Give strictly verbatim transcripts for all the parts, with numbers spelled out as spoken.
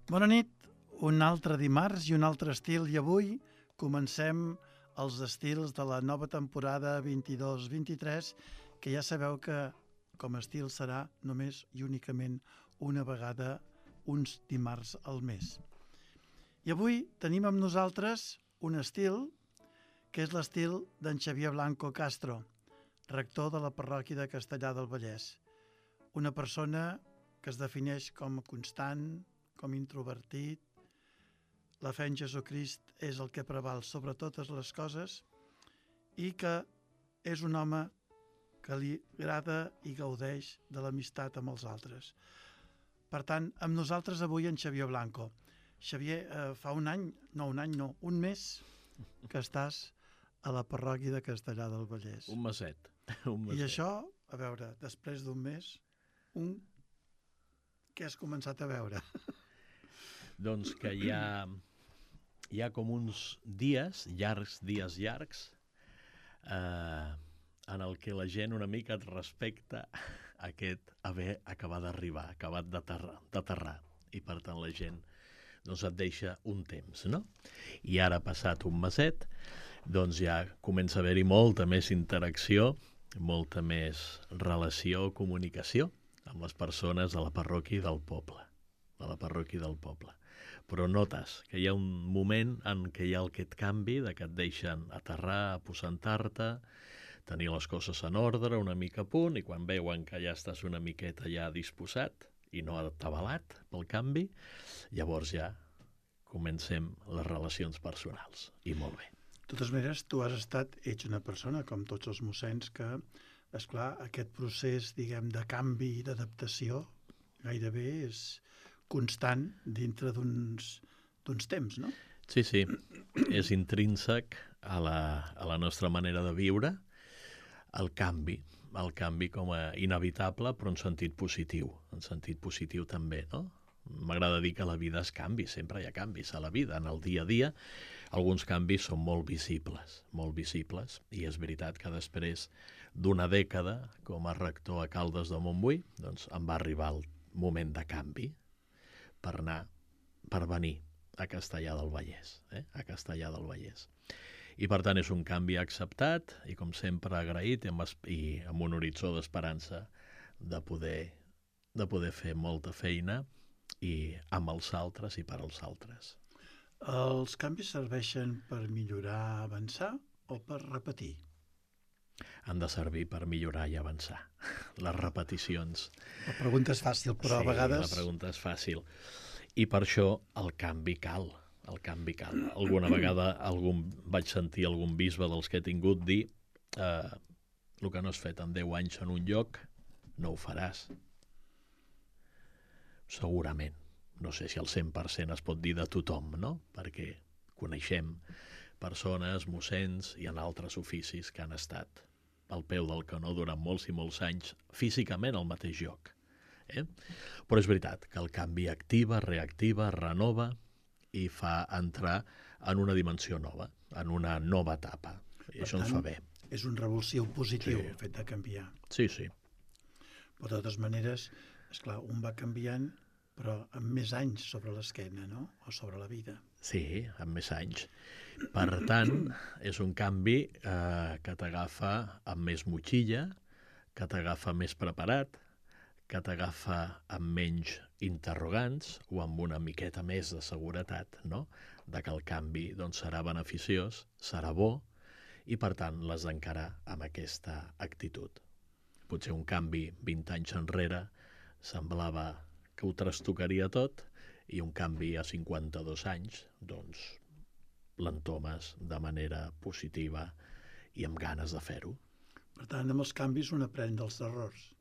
Bona nit, un altre dimarts i un altre estil, i avui comencem els estils de la nova temporada vint-i-dos vint-i-tres, que ja sabeu que com a estil serà només i únicament una vegada uns dimarts al mes. I avui tenim amb nosaltres un estil que és l'estil d'en Xavier Blanco Castro, rector de la parròquia de Castellar del Vallès. Una persona que es defineix com constant, com introvertit. La fe en Jesucrist és el que preval sobre totes les coses i que és un home que li agrada i gaudeix de l'amistat amb els altres. Per tant, amb nosaltres avui en Xavier Blanco. Xavier, eh, fa un any, no un any, no, un mes que estàs a la parròquia de Castellar del Vallès. Un meset. Un meset. I això, a veure, després d'un mes, un... què has començat a veure? Doncs que hi ha, hi ha com uns dies, llargs, dies llargs, eh, en el que la gent una mica et respecta aquest haver acabat d'arribar, acabat d'aterrar, d'aterrar. I per tant la gent doncs et deixa un temps, no? I ara, passat un meset, doncs ja comença a haver-hi molta més interacció, molta més relació, comunicació amb les persones de la parròquia del poble, de la parròquia del poble. Però notes que hi ha un moment en què hi ha aquest canvi, de que et deixen aterrar, aposentar-te, tenir les coses en ordre, una mica a punt, i quan veuen que ja estàs una miqueta ja disposat i no atabalat pel canvi, llavors ja comencem les relacions personals. I molt bé. De totes maneres, tu has estat, ets una persona, com tots els mossens, que, esclar, aquest procés, diguem, de canvi i d'adaptació gairebé és constant dintre d'uns d'uns temps, no? Sí, sí, és intrínsec a la, a la nostra manera de viure el canvi, el canvi com a inevitable, però en sentit positiu, en sentit positiu també, no? M'agrada dir que la vida es canvi, sempre hi ha canvis a la vida, en el dia a dia. Alguns canvis són molt visibles, molt visibles, i és veritat que després d'una dècada com a rector a Caldes de Montbui, doncs em va arribar el moment de canvi per anar, per venir a Castellar del Vallès, eh? a Castellar del Vallès. I per tant és un canvi acceptat i com sempre agraït i amb, i amb un horitzó d'esperança de poder, de poder fer molta feina i amb els altres i per als altres. Els canvis serveixen per millorar, avançar o per repetir? Han de servir per millorar i avançar. Les repeticions. La pregunta és fàcil, però sí, a vegades... la pregunta és fàcil. I per això el canvi cal. El canvi cal. Alguna vegada algun, vaig sentir algun bisbe dels que he tingut dir eh, el que no has fet en deu anys en un lloc, no ho faràs. Segurament. No sé si al cent per cent es pot dir de tothom, no? Perquè coneixem persones, mossens i en altres oficis que han estat al peu del canó durant molts i molts anys físicament al mateix lloc. Eh? Però és veritat que el canvi activa, reactiva, renova i fa entrar en una dimensió nova, en una nova etapa. I això ens fa bé. És un revulsiu positiu, Sí. el fet de canviar. Sí, sí. Però de totes maneres, esclar, un va canviant, però amb més anys sobre l'esquena, no? O sobre la vida. Sí, amb més anys. Per tant, és un canvi eh, que t'agafa amb més motxilla, que t'agafa més preparat, que t'agafa amb menys interrogants o amb una miqueta més de seguretat, no? De que el canvi doncs, serà beneficiós, serà bo, i per tant l'has d'encarar amb aquesta actitud. Potser un canvi vint anys enrere semblava que ho trastocaria tot, i un canvi a cinquanta-dos anys, doncs l'entomes de manera positiva i amb ganes de fer-ho. Per tant, amb els canvis un aprèn dels errors.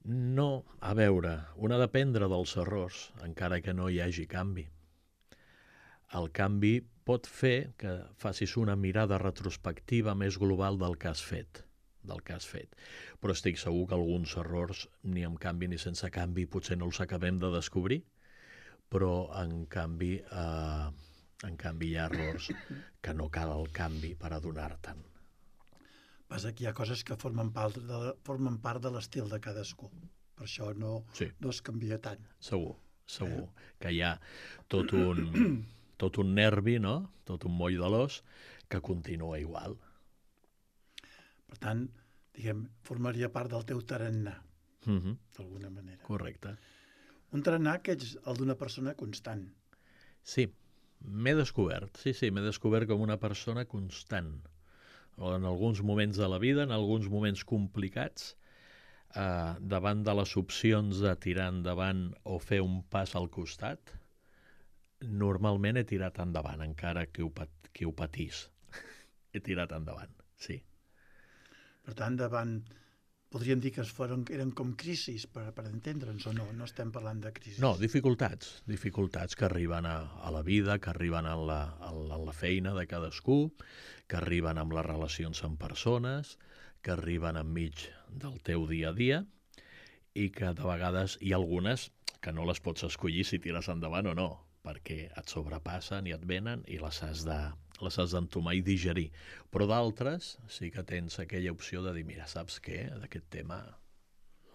No, a veure, un ha d'aprendre dels errors, encara que no hi hagi canvi. El canvi pot fer que facis una mirada retrospectiva més global del que has fet, del que has fet. Però estic segur que alguns errors, ni amb canvi ni sense canvi, potser no els acabem de descobrir, però en canvi, eh, en canvi hi ha errors que no cal el canvi per adonar-te'n. Passa que hi ha coses que formen part de, formen part de l'estil de cadascú. Per això no, Sí. no es canvia tant. Segur, segur que hi ha tot un, tot un nervi, no? Tot un moll de l'os que continua igual. Per tant, diguem, formaria part del teu tarannà, Mm-hmm. d'alguna manera. Correcte. Un tarannà que ets el d'una persona constant. Sí, m'he descobert, sí, sí, m'he descobert com una persona constant. En alguns moments de la vida, en alguns moments complicats, eh, davant de les opcions de tirar endavant o fer un pas al costat, normalment he tirat endavant, encara que ho, pat que ho patís. He tirat endavant, sí. Per tant, davant, podríem dir que es foren, eren com crisis, per, per entendre'ns, o no? No estem parlant de crisis. No, dificultats, dificultats que arriben a, a la vida, que arriben a la, a, la, a la feina de cadascú, que arriben amb les relacions amb persones, que arriben enmig del teu dia a dia i que de vegades hi ha algunes que no les pots escollir si tires endavant o no, perquè et sobrepassen i et venen i les has de, les has d'entomar i digerir. Però d'altres sí que tens aquella opció de dir, mira, saps què? D'aquest tema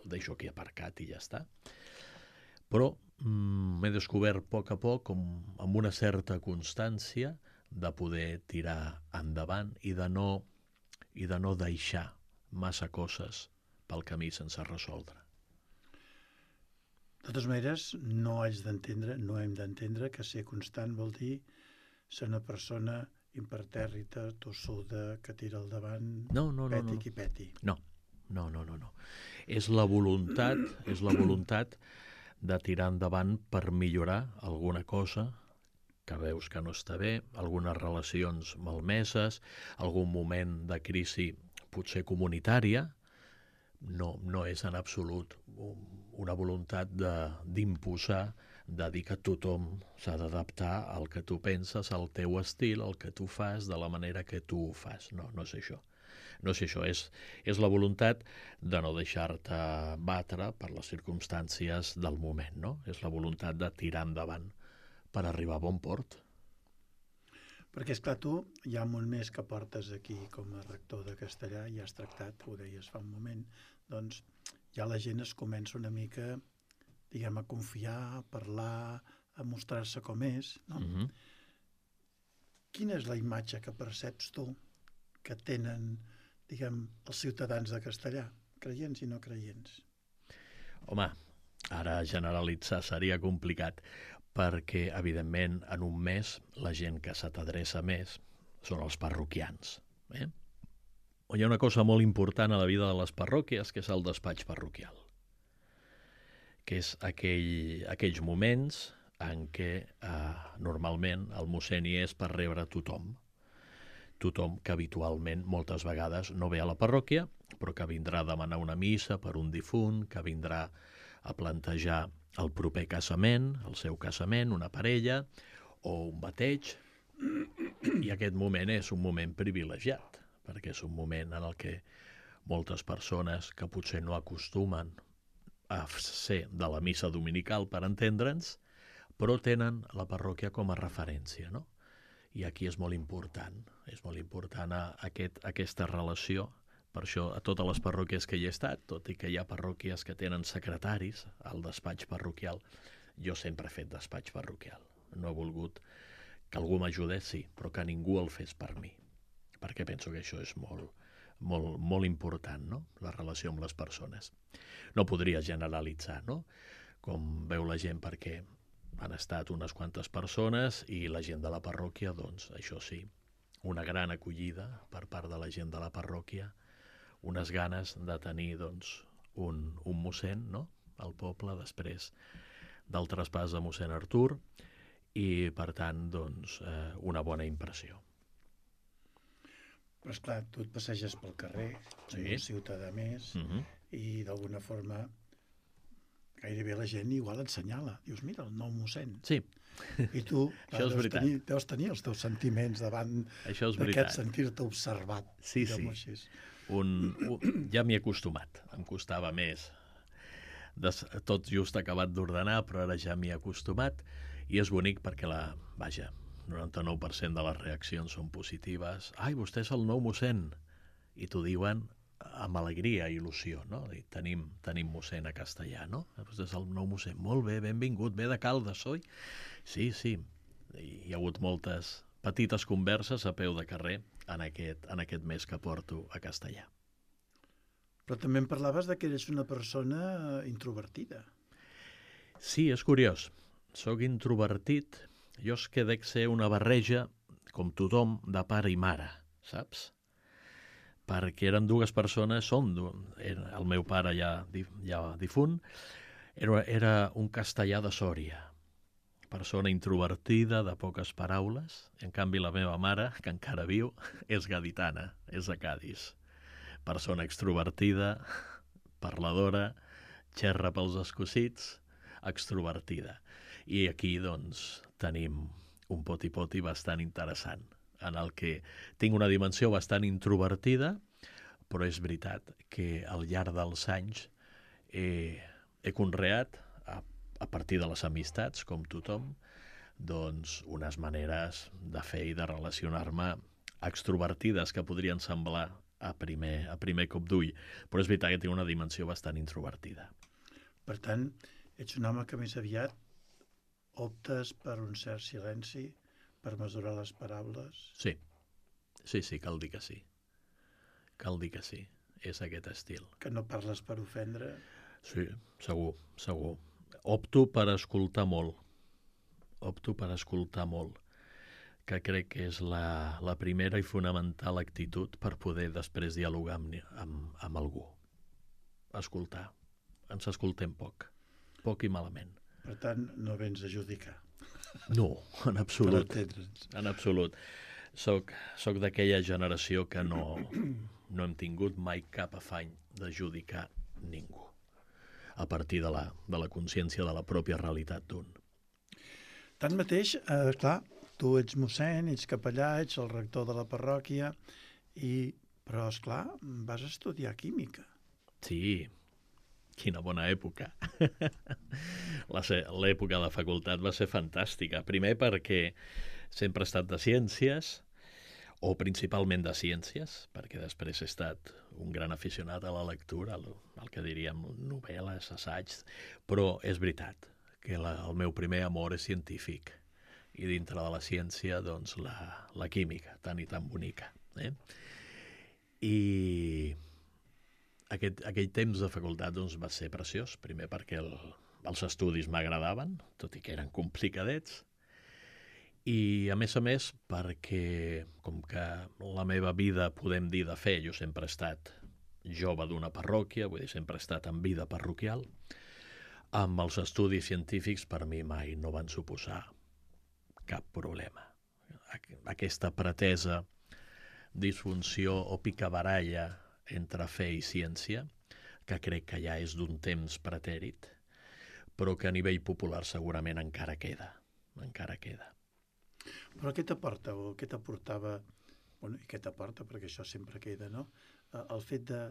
el deixo aquí aparcat i ja està. Però mm, m'he descobert a poc a poc com, amb una certa constància de poder tirar endavant i de no, i de no deixar massa coses pel camí sense resoldre. De totes maneres, no haig d'entendre, no hem d'entendre que ser constant vol dir ser una persona impertèrrita, tossuda, que tira al davant, no, no, no, peti no. qui peti. No, no, no, no, no. És la voluntat, és la voluntat de tirar endavant per millorar alguna cosa que veus que no està bé, algunes relacions malmeses, algun moment de crisi potser comunitària. No, no és en absolut una voluntat d'imposar, de, de dir que tothom s'ha d'adaptar al que tu penses, al teu estil, al que tu fas, de la manera que tu ho fas. No, no és això. No és això, és, és la voluntat de no deixar-te batre per les circumstàncies del moment, no? És la voluntat de tirar endavant per arribar a bon port. Perquè, esclar, tu hi ha un munt més que portes aquí com a rector de castellà i has tractat, ho deies fa un moment, doncs ja la gent es comença una mica, diguem, a confiar, a parlar, a mostrar-se com és, no? Mm-hmm. Quina és la imatge que perceps tu que tenen, diguem, els ciutadans de Castellà, creients i no creients? Home, ara generalitzar seria complicat, perquè, evidentment, en un mes la gent que se t'adreça més són els parroquians. Eh? Hi ha una cosa molt important a la vida de les parròquies, que és el despatx parroquial, que és aquell, aquells moments en què eh, normalment el mossèn hi és per rebre tothom. Tothom que habitualment, moltes vegades, no ve a la parròquia, però que vindrà a demanar una missa per un difunt, que vindrà a plantejar el proper casament, el seu casament, una parella o un bateig. I aquest moment és un moment privilegiat, perquè és un moment en el que moltes persones que potser no acostumen a ser de la missa dominical, per entendre'ns, però tenen la parròquia com a referència, no? I aquí és molt important, és molt important a aquest, aquesta relació. Per això, a totes les parròquies que hi he estat, tot i que hi ha parròquies que tenen secretaris al despatx parroquial, jo sempre he fet despatx parroquial. No he volgut que algú m'ajudés, sí, però que ningú el fes per mi, perquè penso que això és molt, molt, molt important, no? La relació amb les persones. No podria generalitzar, no? Com veu la gent, perquè han estat unes quantes persones i la gent de la parròquia, doncs, això sí, una gran acollida per part de la gent de la parròquia, unes ganes de tenir, doncs, un, un mossèn, no?, al poble, després del traspàs de mossèn Artur, i, per tant, doncs, eh, una bona impressió. Però, esclar, tu et passeges pel carrer, Sí. un ciutadà més, Mm-hmm. i d'alguna forma gairebé la gent igual et senyala. Dius, mira, el nou mossèn. Sí, I tu Això és deus, veritat. tenir, deus tenir els teus sentiments davant això és d'aquest veritat. sentir-te observat. Sí, diguem-ho sí. així. Un, un, ja m'hi he acostumat, em costava més. Des, tot just acabat d'ordenar, però ara ja m'hi he acostumat, i és bonic perquè la, vaja, noranta-nou per cent de les reaccions són positives. Ai, vostè és el nou mossèn. I t'ho diuen amb alegria i il·lusió, no? I tenim, tenim mossèn a Castellà, no? Doncs és el nou mossèn. Molt bé, benvingut, ve de Caldes, oi? Sí, sí. I hi ha hagut moltes petites converses a peu de carrer en aquest, en aquest mes que porto a Castellà. Però també em parlaves de que eres una persona introvertida. Sí, és curiós. Soc introvertit. Jo és que dec ser una barreja, com tothom, de pare i mare, saps? Perquè eren dues persones, són, el meu pare ja, ja difunt, era, era un castellà de Sòria, persona introvertida, de poques paraules. En canvi, la meva mare, que encara viu, és gaditana, és de Cadis. Persona extrovertida, parladora, xerra pels escocits, extrovertida. I aquí, doncs, tenim un poti-poti bastant interessant, en el que tinc una dimensió bastant introvertida, però és veritat que al llarg dels anys he, he conreat, a, a partir de les amistats, com tothom, doncs unes maneres de fer i de relacionar-me extrovertides que podrien semblar a primer, a primer cop d'ull, però és veritat que tinc una dimensió bastant introvertida. Per tant, ets un home que més aviat optes per un cert silenci, per mesurar les paraules? Sí, sí, sí, cal dir que sí. Cal dir que sí, és aquest estil. Que no parles per ofendre? Sí, segur, segur. Opto per escoltar molt. Opto per escoltar molt, que crec que és la, la primera i fonamental actitud per poder després dialogar amb, amb, amb algú. Escoltar. Ens escoltem poc. Poc i malament. Per tant, no vens a judicar. No, en absolut. Per entendre'ns. En absolut. Soc, soc d'aquella generació que no, no hem tingut mai cap afany de judicar ningú, a partir de la, de la consciència de la pròpia realitat d'un. Tanmateix, eh, clar, tu ets mossèn, ets capellà, ets el rector de la parròquia, i, però, esclar, vas estudiar química. Sí, quina bona època. L'època de facultat va ser fantàstica. Primer perquè sempre he estat de ciències, o principalment de ciències, perquè després he estat un gran aficionat a la lectura, el, el que diríem novel·les, assaigs, però és veritat que la, el meu primer amor és científic, i dintre de la ciència, doncs, la, la química, tan i tan bonica. Eh? I aquest, aquell temps de facultat doncs, va ser preciós, primer perquè el, els estudis m'agradaven, tot i que eren complicadets, i a més a més perquè, com que la meva vida, podem dir, de fe, jo sempre he estat jove d'una parròquia, vull dir, sempre he estat en vida parroquial, amb els estudis científics per mi mai no van suposar cap problema. Aquesta pretesa disfunció o picabaralla entre fe i ciència, que crec que ja és d'un temps pretèrit, però que a nivell popular segurament encara queda, encara queda. Però què t'aporta o què t'aportava, bueno, i què t'aporta, perquè això sempre queda, no? El fet de,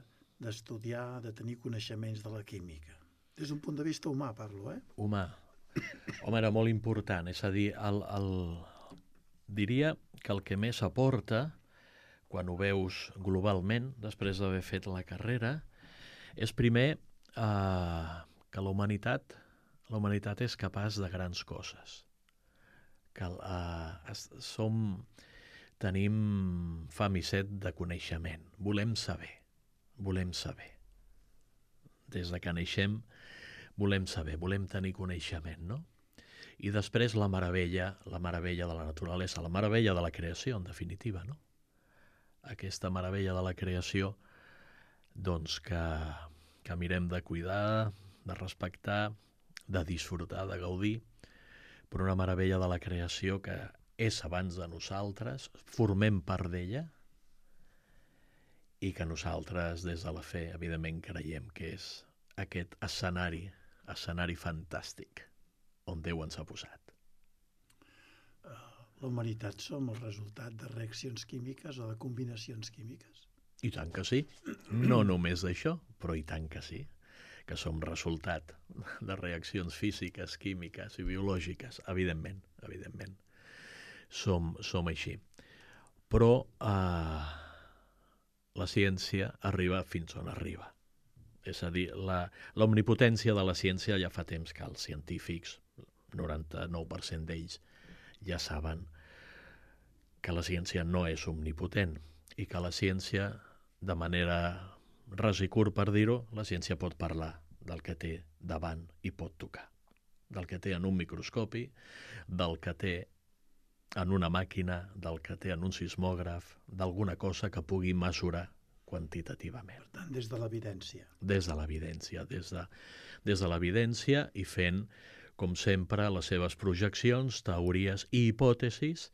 d'estudiar, de tenir coneixements de la química. Des d'un punt de vista humà, parlo, eh? Humà. Home, era molt important, és a dir, el, el... diria que el que més aporta, quan ho veus globalment, després d'haver fet la carrera, és primer eh, que la humanitat, la humanitat és capaç de grans coses. Que uh, som, tenim fam i set de coneixement. Volem saber, volem saber. Des de que neixem volem saber, volem tenir coneixement, no? I després la meravella, la meravella de la naturalesa, la meravella de la creació, en definitiva, no? Aquesta meravella de la creació, doncs que, que mirem de cuidar, de respectar, de disfrutar, de gaudir, però una meravella de la creació que és abans de nosaltres, formem part d'ella, i que nosaltres, des de la fe, evidentment creiem que és aquest escenari, escenari fantàstic, on Déu ens ha posat. La humanitat som el resultat de reaccions químiques o de combinacions químiques? I tant que sí. No només d'això, però i tant que sí. Que som resultat de reaccions físiques, químiques i biològiques, evidentment, evidentment. Som, som així. Però eh, la ciència arriba fins on arriba. És a dir, la, l'omnipotència de la ciència ja fa temps que els científics, noranta-nou per cent d'ells, ja saben que la ciència no és omnipotent i que la ciència, de manera ras i curt per dir-ho, la ciència pot parlar del que té davant i pot tocar, del que té en un microscopi, del que té en una màquina, del que té en un sismògraf, d'alguna cosa que pugui mesurar quantitativament. Per tant, des de l'evidència. Des de l'evidència, des de, des de l'evidència i fent, com sempre, les seves projeccions, teories i hipòtesis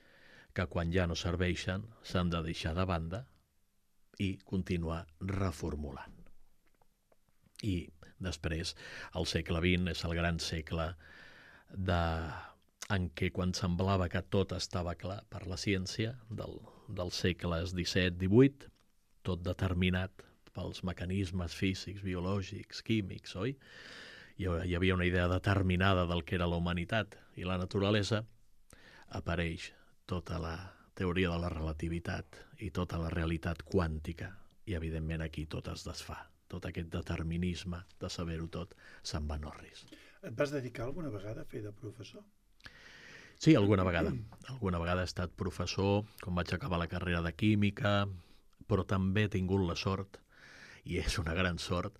que quan ja no serveixen s'han de deixar de banda i continuar reformulant. I després, el segle vint és el gran segle de... en què quan semblava que tot estava clar per la ciència, del, dels segles disset divuit, tot determinat pels mecanismes físics, biològics, químics, oi? Hi havia una idea determinada del que era la humanitat i la naturalesa, apareix tota la teoria de la relativitat i tota la realitat quàntica i, evidentment, aquí tot es desfà. Tot aquest determinisme de saber-ho tot se'n va en orris. Et vas dedicar alguna vegada a fer de professor? Sí, alguna vegada. Alguna vegada he estat professor, quan vaig acabar la carrera de química, però també he tingut la sort, i és una gran sort,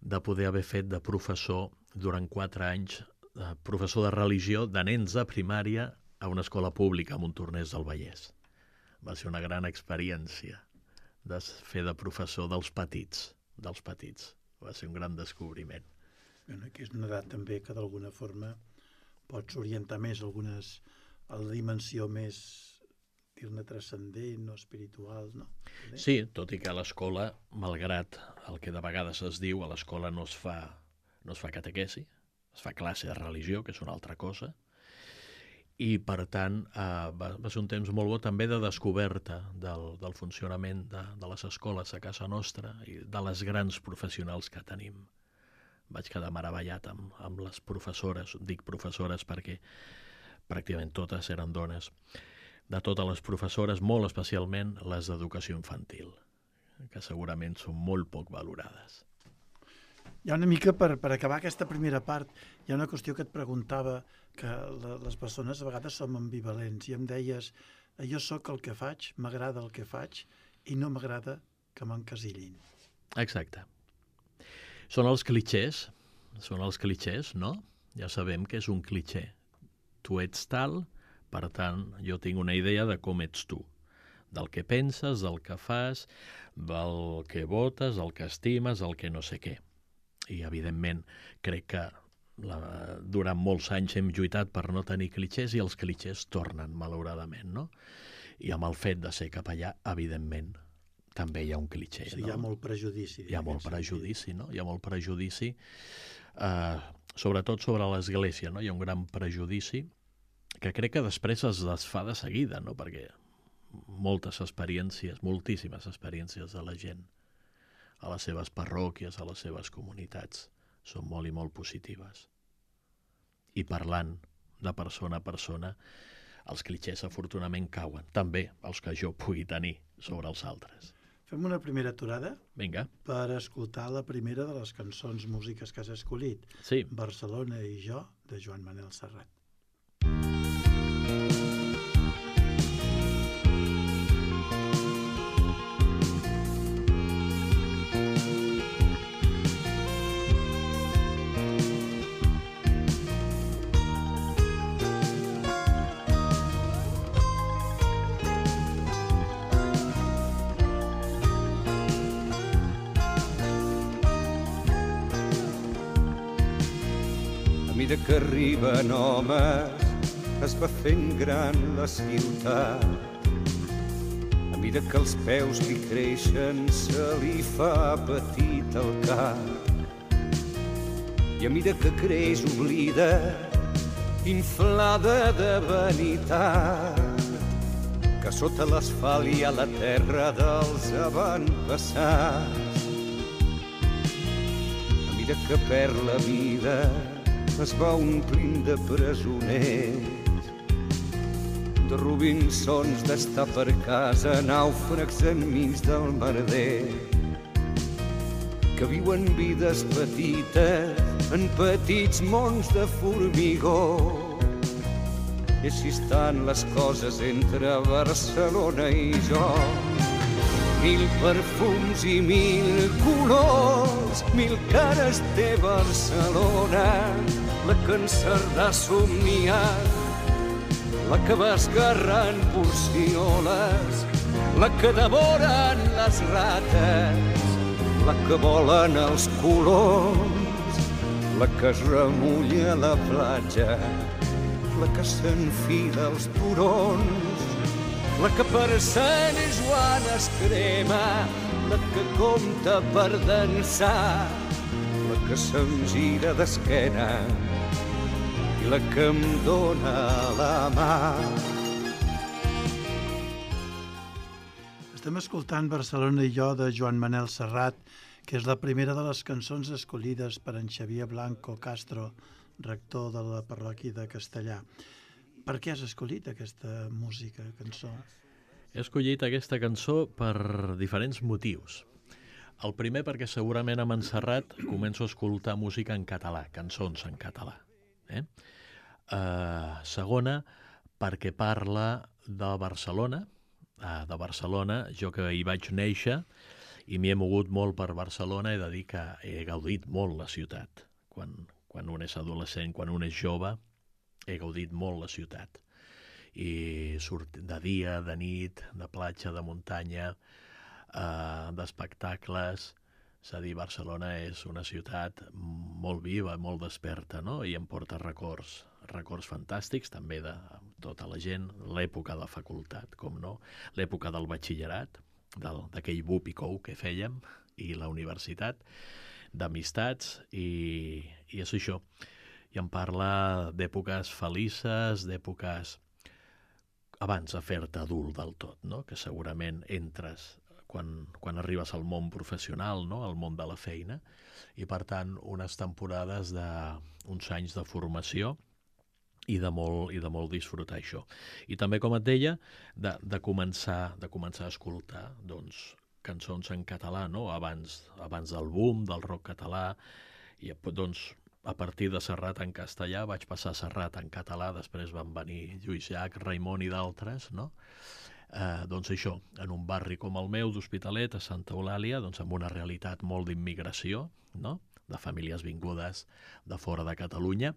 de poder haver fet de professor durant quatre anys, de professor de religió de nens de primària a una escola pública a Montornès del Vallès. Va ser una gran experiència de fer de professor dels petits, dels petits. Va ser un gran descobriment. Bueno, que és una edat també que d'alguna forma pots orientar més algunes a la dimensió més, dir-ne, transcendent o espiritual, no? Sí, tot i que a l'escola, malgrat el que de vegades es diu, a l'escola no es fa, no es fa catequesi, es fa classe de religió, que és una altra cosa, i per tant eh, va, va ser un temps molt bo també de descoberta del, del funcionament de, de les escoles a casa nostra i de les grans professionals que tenim. Vaig quedar meravellat amb, amb les professores, dic professores perquè pràcticament totes eren dones, de totes les professores, molt especialment les d'educació infantil, que segurament són molt poc valorades. Hi ha una mica, per, per acabar aquesta primera part, hi ha una qüestió que et preguntava, que la, les persones a vegades som ambivalents, i em deies, jo sóc el que faig, m'agrada el que faig, i no m'agrada que m'encasillin. Exacte. Són els clixés, són els clixés, no? Ja sabem que és un clixé. Tu ets tal, per tant, jo tinc una idea de com ets tu, del que penses, del que fas, del que votes, del que estimes, el que no sé què. I, evidentment, crec que la, durant molts anys hem lluitat per no tenir clixés i els clixés tornen, malauradament, no? I amb el fet de ser capellà, evidentment, també hi ha un clixé. Sí, no? Hi ha molt prejudici. Hi ha molt prejudici, no? Hi ha molt prejudici, eh, sobretot sobre l'Església, no? Hi ha un gran prejudici que crec que després es desfà de seguida, no? Perquè moltes experiències, moltíssimes experiències de la gent a les seves parròquies, a les seves comunitats, són molt i molt positives. I parlant de persona a persona, els clixés afortunadament cauen, també els que jo pugui tenir sobre els altres. Fem una primera aturada? Vinga. Per escoltar la primera de les cançons, músiques que has escollit. Sí. Barcelona i jo, de Joan Manel Serrat. Que arriben homes, es va fent gran la ciutat. A mesura que els peus li creixen, se li fa petit el cap. I a mesura que creix, oblida, inflada de vanitat, que sota l'asfalt hi ha la terra dels avantpassats. A mesura que perd la vida, es va omplint de presoners, de Robinsons d'estar per casa, nàufrags enmig del merder, que viuen vides petites en petits mons de formigó. I així estan les coses entre Barcelona i jo. Mil perfums i mil colors, mil cares té Barcelona, la que en Cerdà ha somniat, la que va esgarrant porcioles, la que devoren les rates, la que volen els coloms, la que es remulla a la platja, la que s'enfila als turons, la que per Sant Joan es crema, la que compta per dansar, la que se'm gira d'esquena i la que em dóna la mà. Estem escoltant Barcelona i jo de Joan Manel Serrat, que és la primera de les cançons escollides per en Xavier Blanco Castro, rector de la parròquia de Castellà. Per què has escollit aquesta música, cançó? He escollit aquesta cançó per diferents motius. El primer perquè segurament a Montserrat començo a escoltar música en català, cançons en català. Eh? Uh, segona, perquè parla de Barcelona, uh, de Barcelona, jo que hi vaig néixer i m'hi he mogut molt per Barcelona, he de dir que he gaudit molt la ciutat. Quan, quan un és adolescent, quan un és jove, he gaudit molt la ciutat. I surt de dia, de nit, de platja, de muntanya, eh, d'espectacles. És a dir, Barcelona és una ciutat molt viva, molt desperta, no? I em porta records, records fantàstics, també de tota la gent, l'època de facultat, com no, l'època del batxillerat, d'aquell bup i cou que fèiem, i la universitat, d'amistats, i, i és això. I em parla d'èpoques felices, d'èpoques abans de fer-te adult del tot, no? Que segurament entres quan, quan arribes al món professional, no? Al món de la feina, i per tant unes temporades d'uns anys de formació i de molt, i de molt disfrutar això. I també, com et deia, de, de, començar, de començar a escoltar doncs, cançons en català, no? Abans, abans del boom del rock català, i doncs a partir de Serrat en castellà vaig passar a Serrat en català, després van venir Lluís Llach, Raimon i d'altres, no? Eh, doncs això, en un barri com el meu, d'Hospitalet, a Santa Eulàlia, doncs amb una realitat molt d'immigració, no? De famílies vingudes de fora de Catalunya,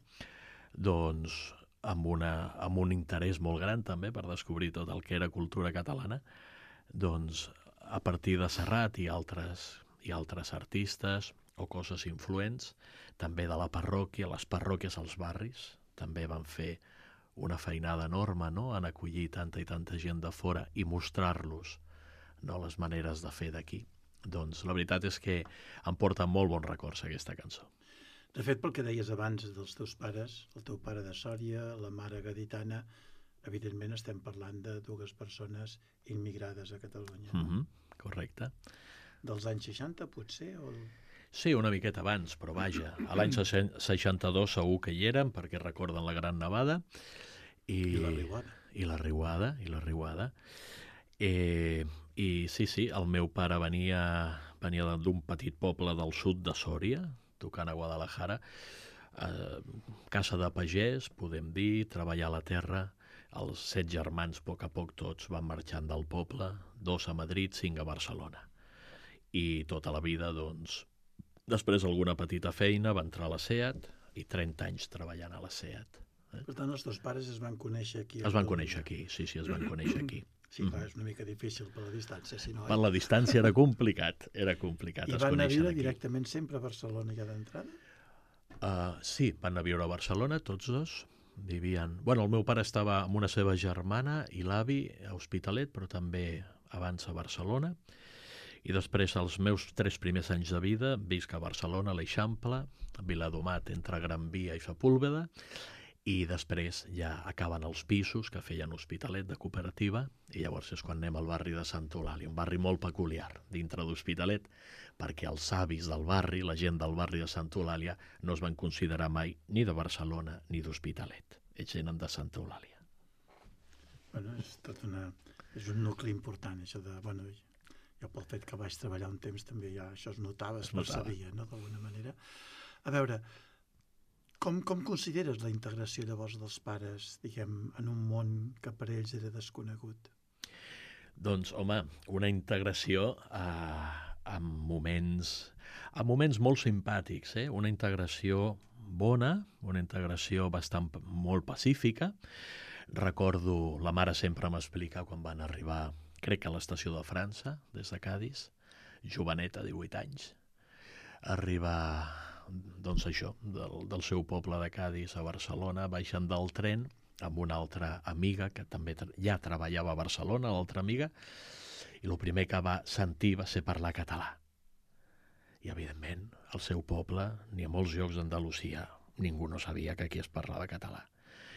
doncs amb, una, amb un interès molt gran també per descobrir tot el que era cultura catalana, doncs a partir de Serrat i altres, i altres artistes o coses influents, també de la parròquia, les parròquies als barris, també van fer una feinada enorme, no?, en acollir tanta i tanta gent de fora i mostrar-los, no?, les maneres de fer d'aquí. Doncs la veritat és que em porta molt bons records aquesta cançó. De fet, pel que deies abans dels teus pares, el teu pare de Sòria, la mare gaditana, evidentment estem parlant de dues persones immigrades a Catalunya. No? Mm-hmm, correcte. Dels anys seixanta, potser? O... Sí, una miqueta abans, però vaja, a l'any seixanta-dos segur que hi érem, perquè recorden la Gran Nevada. I, I la riuada. I la riuada, i la riuada. Eh, I sí, sí, el meu pare venia, venia d'un petit poble del sud de Sòria, tocant a Guadalajara, eh, casa de pagès, podem dir, treballar a la terra. Els set germans, a poc a poc tots, van marxant del poble, dos a Madrid, cinc a Barcelona. I tota la vida, doncs, després alguna petita feina, va entrar a la SEAT i trenta anys treballant a la SEAT. Eh? Per tant, els teus pares es van conèixer aquí. Es van conèixer aquí, sí, sí, es van conèixer aquí. Sí, clar, és una mica difícil per la distància, si no... Per la distància era complicat, era complicat. I van anar a viure directament sempre a Barcelona ja d'entrada? Uh, sí, van anar a viure a Barcelona, tots dos. Vivien... Bueno, el meu pare estava amb una seva germana i l'avi a Hospitalet, però també abans a Barcelona. I després, els meus tres primers anys de vida, visc a Barcelona, a l'Eixample, a Viladomat, entre Gran Via i Sepúlveda, i després ja acaben els pisos que feien Hospitalet de cooperativa, i llavors és quan anem al barri de Santa Eulàlia, un barri molt peculiar dintre d'Hospitalet, perquè els avis del barri, la gent del barri de Santa Eulàlia, no es van considerar mai ni de Barcelona ni d'Hospitalet. Ells eren de Santa Eulàlia. Bueno, és tot una... És un nucli important, això de... Bueno, jo pel fet que vaig treballar un temps també ja això es notava, es, es percebia, no?, d'alguna manera. A veure, com, com consideres la integració llavors dels pares, diguem, en un món que per ells era desconegut? Doncs, home, una integració eh, en moments, en moments molt simpàtics, eh? Una integració bona, una integració bastant molt pacífica. Recordo, la mare sempre m'explica quan van arribar, crec que a l'estació de França, des de Cadis, joveneta, divuit anys, arribar, doncs això, del, del seu poble de Cadis a Barcelona, baixant del tren amb una altra amiga que també ja treballava a Barcelona, l'altra amiga, i el primer que va sentir va ser parlar català. I, evidentment, al seu poble, ni a molts llocs d'Andalusia, ningú no sabia que aquí es parlava català.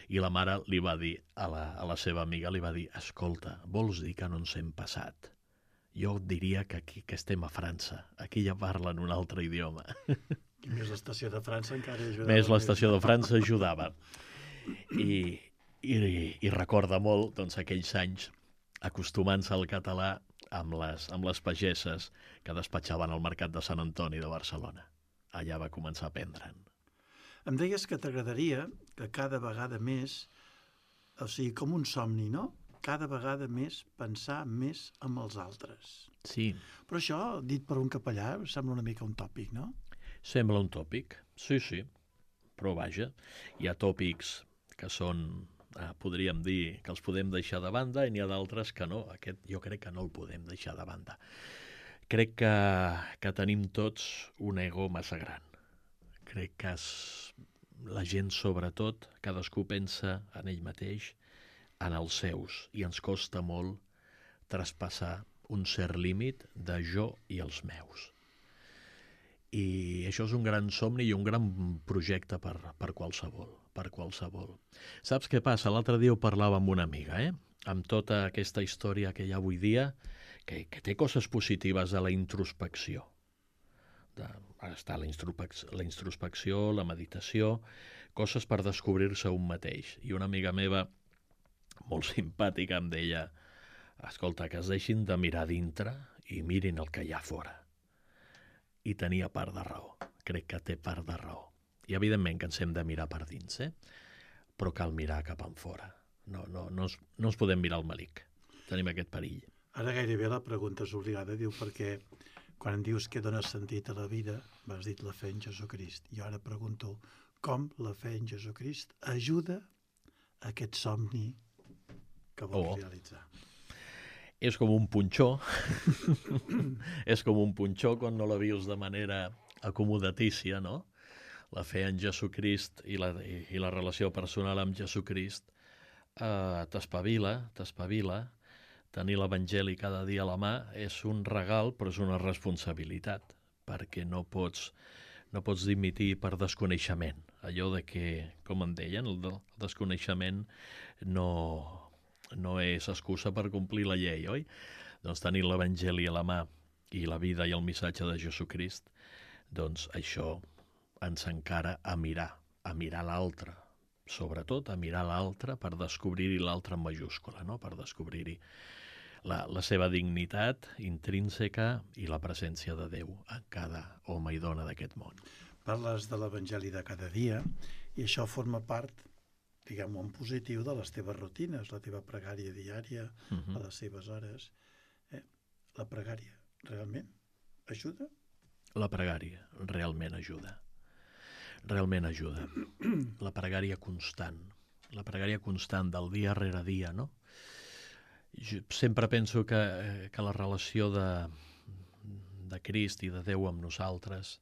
I la mare li va dir a la, a la seva amiga, li va dir, escolta, vols dir que no ens hem passat? Jo diria que aquí que estem a França, aquí ja parlen un altre idioma. I més l'estació de França encara ajudava. Més l'estació de França ajudava. I, i, i recorda molt, doncs, aquells anys acostumant-se al català amb les, amb les pageses que despatxaven al mercat de Sant Antoni de Barcelona. Allà va començar a aprendre'n. Em deies que t'agradaria que cada vegada més, o sigui, com un somni, no?, cada vegada més pensar més en els altres. Sí. Però això, dit per un capellà, sembla una mica un tòpic, no? Sembla un tòpic, sí, sí, però vaja, hi ha tòpics que són, eh, podríem dir, que els podem deixar de banda i n'hi ha d'altres que no. Aquest jo crec que no el podem deixar de banda. Crec que, que tenim tots un ego massa gran. Crec que es, la gent, sobretot, cadascú pensa en ell mateix, en els seus, i ens costa molt traspassar un cert límit de jo i els meus. I això és un gran somni i un gran projecte per, per qualsevol, per qualsevol. Saps què passa? L'altre dia ho parlava amb una amiga, eh? Amb tota aquesta història que hi ha avui dia, que, que té coses positives a la introspecció. De, està la, la introspecció, la meditació, coses per descobrir-se un mateix. I una amiga meva, molt simpàtica, em deia, escolta, que es deixin de mirar dintre i mirin el que hi ha fora. I tenia part de raó, crec que té part de raó. I evidentment que ens hem de mirar per dins, eh? Però cal mirar cap en fora. No, no, no, ens, no ens podem mirar al melic, tenim aquest perill. Ara gairebé la pregunta és obligada, diu, perquè quan em dius que dones sentit a la vida, m'has dit la fe en Jesucrist. Jo ara pregunto com la fe en Jesucrist ajuda a aquest somni que vols oh. realitzar. És com un punxó, és com un punxó quan no la vius de manera acomodatícia, no? La fe en Jesucrist i la, i, i la relació personal amb Jesucrist eh, t'espavila, t'espavila. Tenir l'Evangeli cada dia a la mà és un regal, però és una responsabilitat, perquè no pots, no pots dimitir per desconeixement. Allò de que, com en deien, el desconeixement no, no és excusa per complir la llei, oi? Doncs tenir l'Evangeli a la mà i la vida i el missatge de Jesucrist, doncs això ens encara a mirar, a mirar l'altre, sobretot a mirar l'altre per descobrir-hi l'altre en majúscula, no? Per descobrir-hi la, la seva dignitat intrínseca i la presència de Déu en cada home i dona d'aquest món. Parles de l'Evangeli de cada dia i això forma part, diguem-ho en positiu, de les teves rutines, la teva pregària diària, uh-huh. a les seves hores. Eh? La pregària realment ajuda? La pregària realment ajuda. Realment ajuda. La pregària constant. La pregària constant del dia rere dia, no? Jo sempre penso que, que la relació de, de Crist i de Déu amb nosaltres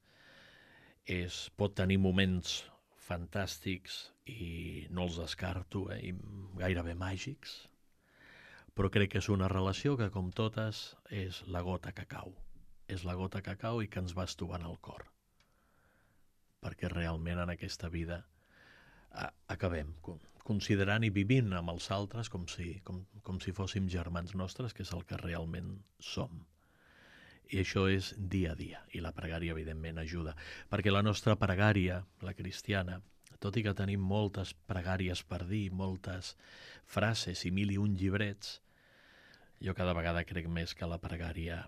és, pot tenir moments fantàstics i no els descarto, eh, i gairebé màgics, però crec que és una relació que, com totes, és la gota que cau. És la gota que cau i que ens va estovant el cor. Perquè realment en aquesta vida a, acabem considerant i vivint amb els altres com si, com, com si fóssim germans nostres, que és el que realment som. I això és dia a dia, i la pregària evidentment ajuda, perquè la nostra pregària, la cristiana, tot i que tenim moltes pregàries per dir, moltes frases i mil i un llibrets, jo cada vegada crec més que la pregària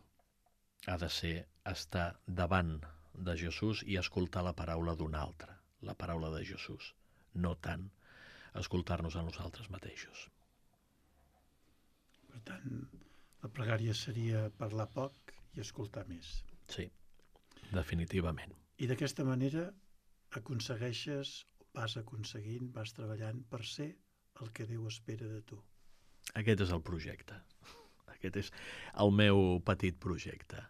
ha de ser estar davant de Jesús i escoltar la paraula d'un altre, la paraula de Jesús, no tant escoltar-nos a nosaltres mateixos. Per tant, la pregària seria parlar poc i escoltar més. Sí, definitivament. I d'aquesta manera aconsegueixes, vas aconseguint, vas treballant per ser el que Déu espera de tu. Aquest és el projecte. Aquest és el meu petit projecte.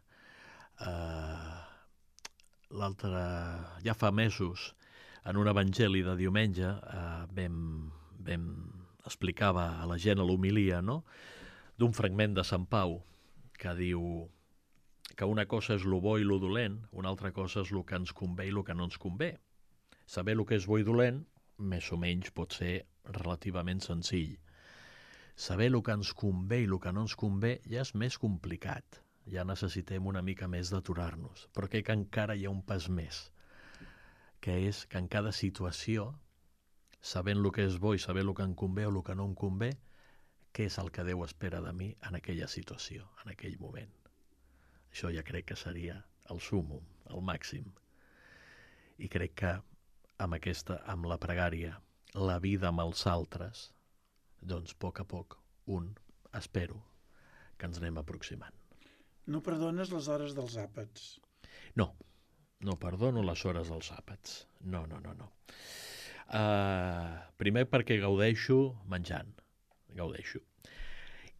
Uh, L'altre... Ja fa mesos, en un evangeli de diumenge, uh, vam, vam explicava a la gent a l'homilia, no?, d'un fragment de Sant Pau que diu que una cosa és lo bo i lo dolent, una altra cosa és lo que ens convé i lo que no ens convé. Saber el que és bo i dolent, més o menys pot ser relativament senzill. Saber el que ens convé i el que no ens convé ja és més complicat. Ja necessitem una mica més d'aturar-nos. Però crec que encara hi ha un pas més, que és que en cada situació, sabent el que és bo i saber el que em convé o el que no em convé, què és el que Déu espera de mi en aquella situació, en aquell moment. Això ja crec que seria el súmmum, el màxim. I crec que amb aquesta, amb la pregària, la vida amb els altres, doncs a poc a poc, un, espero, que ens anem aproximant. No perdones les hores dels àpats? No, no perdono les hores dels àpats. No, no, no, no. Uh, primer perquè gaudeixo menjant, gaudeixo.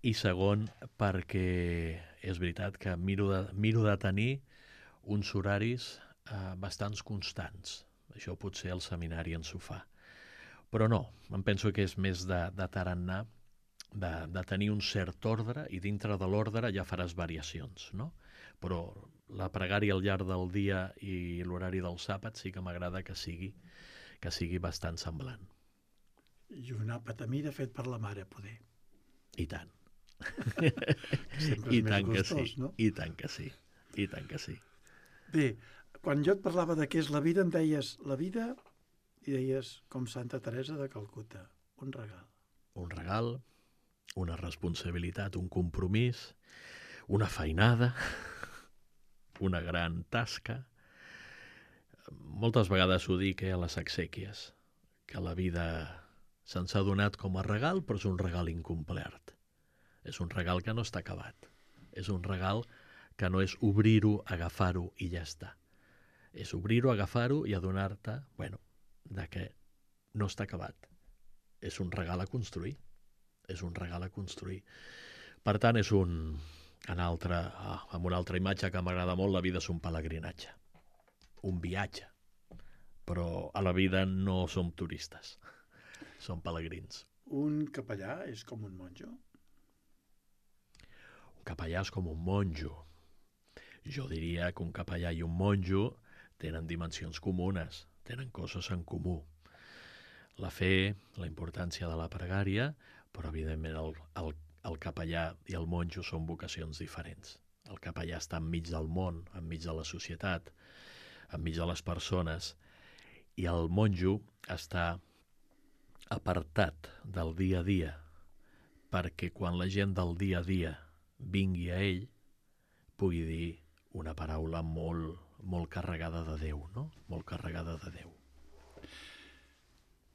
I segon perquè és veritat que miro de, miro de tenir uns horaris uh, bastants constants. Això potser el seminari ens ho fa. Però no, em penso que és més de, de tarannà, de, de tenir un cert ordre, i dintre de l'ordre ja faràs variacions, no? Però la pregària al llarg del dia i l'horari dels àpats sí que m'agrada que sigui, que sigui bastant semblant. I un àpat a mida fet per la mare, poder. I tant. Sempre és I més tant que gustós, sí, no? i tant que sí, i tant que sí. Bé, quan jo et parlava de què és la vida, em deies la vida i deies com Santa Teresa de Calcuta, un regal. Un regal, una responsabilitat, un compromís, una feinada, una gran tasca. Moltes vegades ho dic eh, a les exèquies, que la vida se'ns ha donat com a regal, però és un regal incomplert. És un regal que no està acabat. És un regal que no és obrir-ho, agafar-ho i ja està. És obrir-ho, agafar-ho i adonar-te, bueno, de que no està acabat. És un regal a construir. És un regal a construir. Per tant, és un... En altra, ah, amb una altra imatge que m'agrada molt, la vida és un pelegrinatge. Un viatge. Però a la vida no som turistes. Som pelegrins. Un capellà és com un monjo? Un capellà és com un monjo. Jo diria que un capellà i un monjo tenen dimensions comunes, tenen coses en comú. La fe, la importància de la pregària, però evidentment el, el, el capellà i el monjo són vocacions diferents. El capellà està enmig del món, enmig de la societat, enmig de les persones, i el monjo està apartat del dia a dia, perquè quan la gent del dia a dia vingui a ell, pugui dir una paraula molt, molt carregada de Déu, no? Molt carregada de Déu.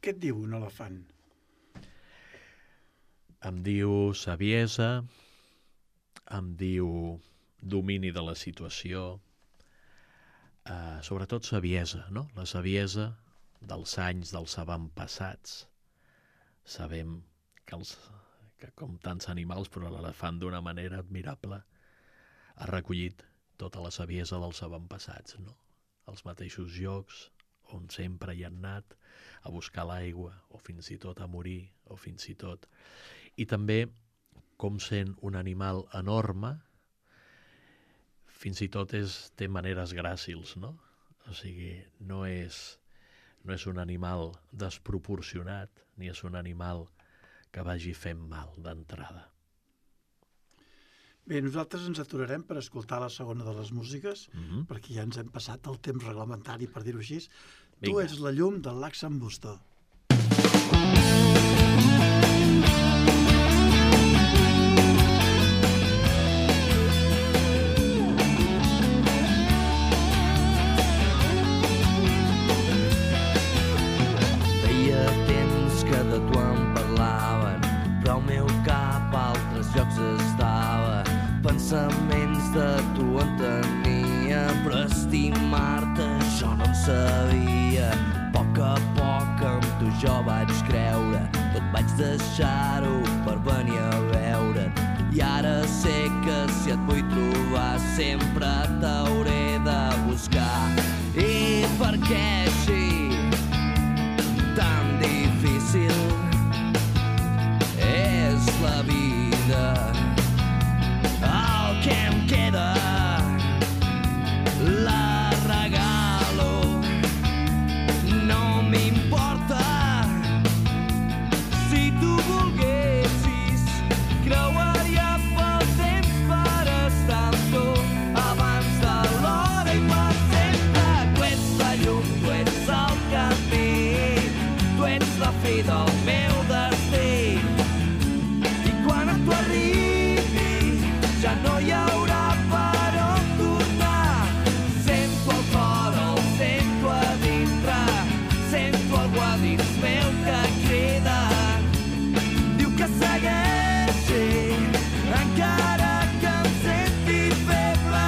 Què et diu un elefant? Em diu saviesa, em diu domini de la situació, eh, sobretot saviesa, no? La saviesa dels anys, dels avantpassats. Sabem que, els, que com tants animals, però l'elefant d'una manera admirable ha recollit tota la saviesa dels avantpassats, no? Els mateixos llocs on sempre hi han anat a buscar l'aigua, o fins i tot a morir, o fins i tot... I també, com sent un animal enorme, fins i tot és, té maneres gràcils, no? O sigui, no és, no és un animal desproporcionat, ni és un animal que vagi fent mal d'entrada. Bé, nosaltres ens aturarem per escoltar la segona de les músiques, Mm-hmm. perquè ja ens hem passat el temps reglamentari, per dir-ho així. Tu ets la llum del Lax'n'Busto. Feia temps que de tu em parlaven, però el meu cap a altres llocs estava. Pensaments de tu en tenia, però estimar-te jo no en sabia. A poc a poc amb tu jo vaig creure, tot vaig deixar-ho per venir a veure't. I ara sé que si et vull trobar sempre t'hauré de buscar. I per què així tan difícil és la vida? El que em queda la regalo, no m'importa. Si tu volguessis, creuaria pel temps per estar amb tu abans de l'hora i per sempre. Tu ets la llum, tu ets el camí, tu ets la fi del meu destí. I quan a tu arribi ja no hi haurà per on tornar. Sento el cor, el sento a dintre, sento algú a dins meu que crida. Diu que segueixi, encara que em senti feble.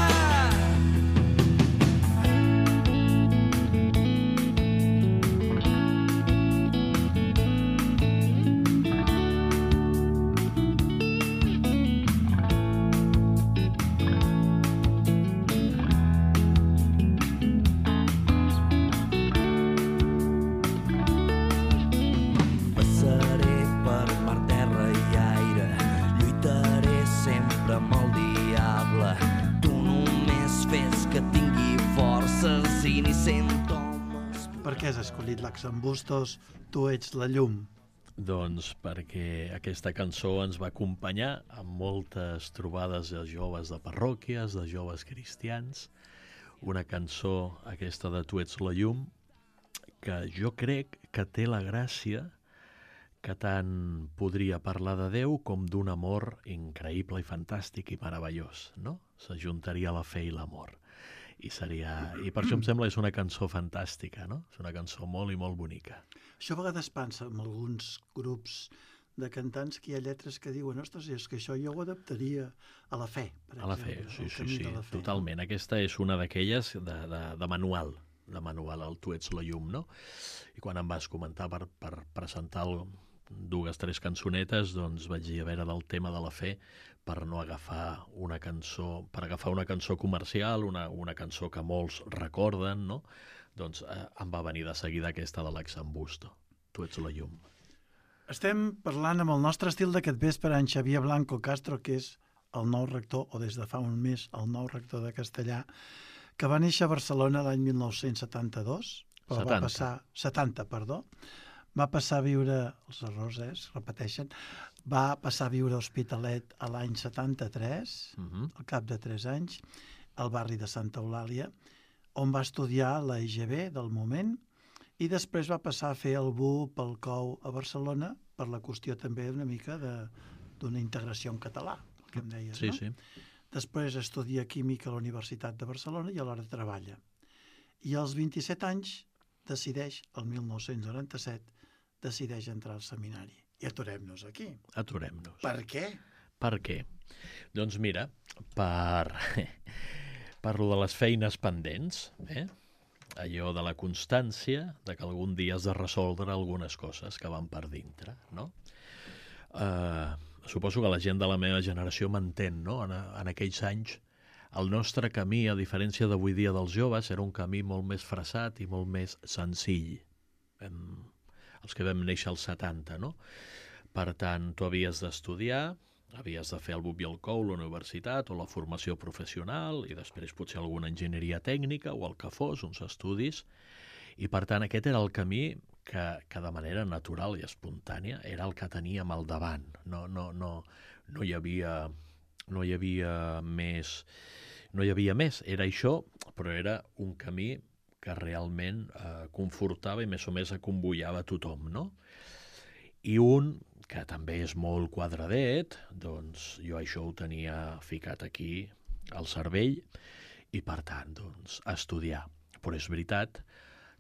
Passaré per mar, terra i aire, lluitaré sempre amb el diable. Tu només fes que tingui forces i ni sento homes. Per què has escollit Lax'n'Bustos, Tu ets la llum? Doncs perquè aquesta cançó ens va acompanyar amb moltes trobades de joves de parròquies, de joves cristians. Una cançó, aquesta de Tu ets la llum, que jo crec que té la gràcia que tant podria parlar de Déu com d'un amor increïble i fantàstic i meravellós, no? S'ajuntaria la fe i l'amor. I seria... I per això em sembla que és una cançó fantàstica, no? És una cançó molt i molt bonica. Això a vegades passa amb alguns grups de cantants que hi ha lletres que diuen ostres, és que això jo ho adaptaria a la fe, per A la fe, exemple. sí, al sí, camí sí, de la fe. totalment. Aquesta és una d'aquelles de, de, de manual, de manual, el Tu ets la llum, no? I quan em vas comentar per, per presentar el, dues, tres cançonetes, doncs vaig dir a veure del tema de la fe per no agafar una cançó, per agafar una cançó comercial, una, una cançó que molts recorden, no? Doncs eh, em va venir de seguida aquesta de Lax'n'Busto, Tu ets la llum. Estem parlant amb el nostre estil d'aquest vespre, en Xavier Blanco Castro, que és el nou rector, o des de fa un mes, el nou rector de Castellà, que va néixer a Barcelona l'any mil nou-cents setanta-dos, però setanta. va passar... setanta, perdó. Va passar a viure, els errors eh, es repeteixen, va passar a viure a Hospitalet a l'any setanta-tres, Uh-huh. al cap de tres anys, al barri de Santa Eulàlia, on va estudiar la I G B del moment, i després va passar a fer el B U pel C O U a Barcelona, per la qüestió també una mica d'una integració en català, el que em deies, Sí, no? sí. Després estudia Química a la Universitat de Barcelona i alhora treballa. I als vint-i-set anys decideix, el mil nou-cents noranta-set, decideix entrar al seminari. I aturem-nos aquí. Aturem-nos. Per què? Per què? Doncs mira, per, per lo de les feines pendents, eh? Allò de la constància, de que algun dia has de resoldre algunes coses que van per dintre, no? Uh, suposo que la gent de la meva generació m'entén, no? En, en aquells anys, el nostre camí, a diferència d'avui dia dels joves, era un camí molt més fressat i molt més senzill. Vam, els que vam néixer als setanta, no? Per tant, tu havies d'estudiar, havies de fer el B U P i el C O U, la universitat o la formació professional i després potser alguna enginyeria tècnica o el que fos, uns estudis. I per tant aquest era el camí que, que de manera natural i espontània era el que teníem al davant. No, no, no, no, hi havia, no hi havia més, no hi havia més. Era això, però era un camí que realment eh, confortava i més o més acomboiava tothom, no? I un, que també és molt quadradet, doncs jo això ho tenia ficat aquí al cervell i, per tant, doncs, a estudiar. Però és veritat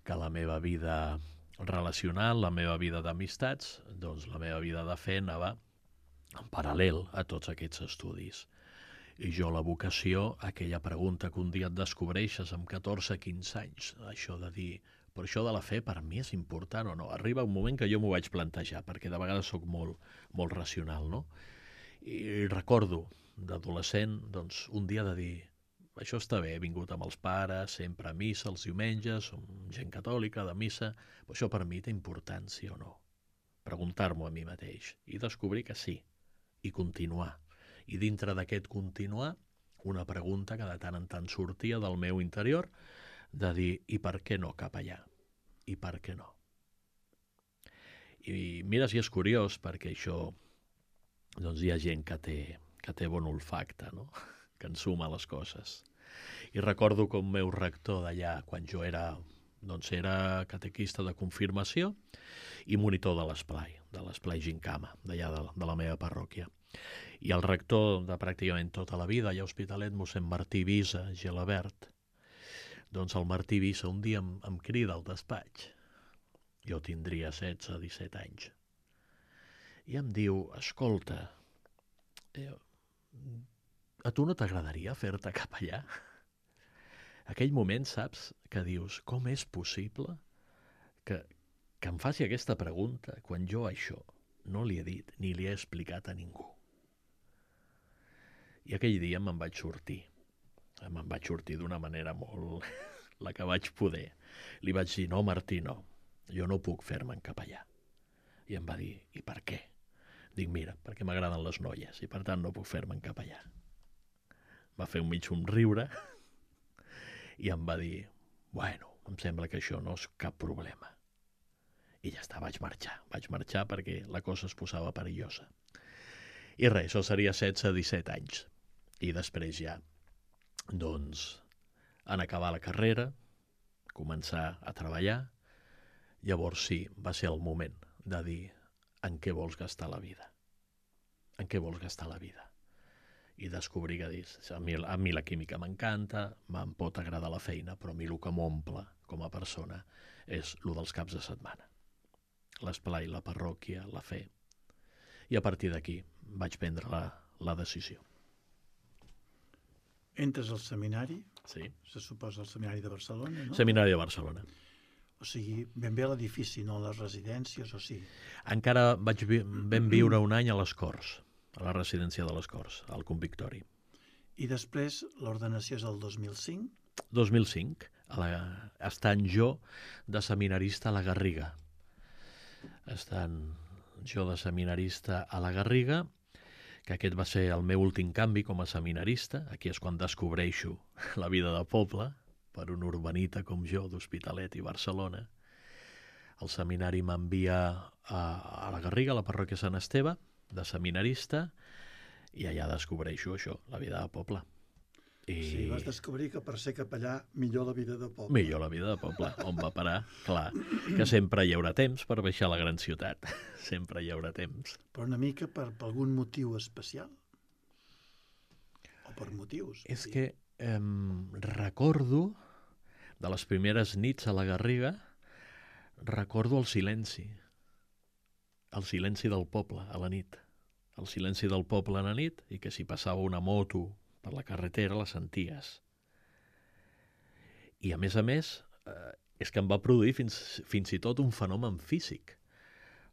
que la meva vida relacional, la meva vida d'amistats, doncs la meva vida de fe anava en paral·lel a tots aquests estudis. I jo la vocació, aquella pregunta que un dia et descobreixes amb catorze quinze anys, això de dir, però això de la fe per mi és important o no? Arriba un moment que jo m'ho vaig plantejar, perquè de vegades sóc molt, molt racional, no? I recordo d'adolescent, doncs, un dia de dir, això està bé, he vingut amb els pares, sempre a missa els diumenges, som gent catòlica de missa, però això per mi té importància o no? Preguntar-m'ho a mi mateix i descobrir que sí, i continuar. I dintre d'aquest continuar, una pregunta que de tant en tant sortia del meu interior, de dir, i per què no cap allà? I per què no? I mira si és curiós, perquè això, doncs hi ha gent que té, que té bon olfacte, no? Que ensuma les coses. I recordo com meu rector d'allà, quan jo era, doncs era catequista de confirmació i monitor de l'esplai, de l'esplai Gincama, d'allà de, de la meva parròquia. I el rector de pràcticament tota la vida, allà a Hospitalet, mossèn Martí Visa, Gelabert, doncs el Martí Visa un dia em, em crida al despatx. Jo tindria setze, disset anys. I em diu, escolta, eh, a tu no t'agradaria fer-te cap allà? Aquell moment, saps, que dius, com és possible que, que em faci aquesta pregunta quan jo això no li he dit ni li he explicat a ningú? I aquell dia me'n vaig sortir. Me'n vaig sortir d'una manera molt... la que vaig poder. Li vaig dir, no, Martí, no, jo no puc fer-me'n cap allà. I em va dir, i per què? Dic, mira, perquè m'agraden les noies i per tant no puc fer-me'n cap allà. Va fer un mig somriure i em va dir, bueno, em sembla que això no és cap problema. I ja està, vaig marxar. Vaig marxar perquè la cosa es posava perillosa. I res, això seria setze disset anys. I després ja, doncs, en acabar la carrera, començar a treballar, llavors sí, va ser el moment de dir en què vols gastar la vida. En què vols gastar la vida? I descobrir que dius, a mi, a mi la química m'encanta, me'n pot agradar la feina, però a mi el que m'omple com a persona és el dels caps de setmana. L'esplai, la parròquia, la fe. I a partir d'aquí vaig prendre la, la decisió. Entres al seminari, Sí. se suposa el seminari de Barcelona, no? Seminari de Barcelona. O sigui, ben bé a l'edifici, no a les residències, o sí? Encara vaig vi vam viure un any a les Corts, a la residència de les Corts, al Convictori. I després l'ordenació és el dos mil cinc? dos mil cinc, a la, estant jo de seminarista a la Garriga. Estant jo de seminarista a la Garriga, que aquest va ser el meu últim canvi com a seminarista. Aquí és quan descobreixo la vida de poble, per un urbanita com jo, d'Hospitalet i Barcelona. El seminari m'envia a, a la Garriga, a la parròquia Sant Esteve, de seminarista, i allà descobreixo això, la vida de poble. I... Sí, vas descobrir que per ser capellà millor la vida de poble. Millor la vida de poble, on va parar? Clar, que sempre hi haurà temps per baixar a la gran ciutat. Sempre hi haurà temps. Però una mica per, per algun motiu especial? O per motius? És que eh, recordo, de les primeres nits a la Garriga, recordo el silenci. El silenci del poble a la nit. El silenci del poble a la nit, i que si passava una moto per la carretera la senties. I a més a més, eh, és que em va produir fins, fins i tot un fenomen físic.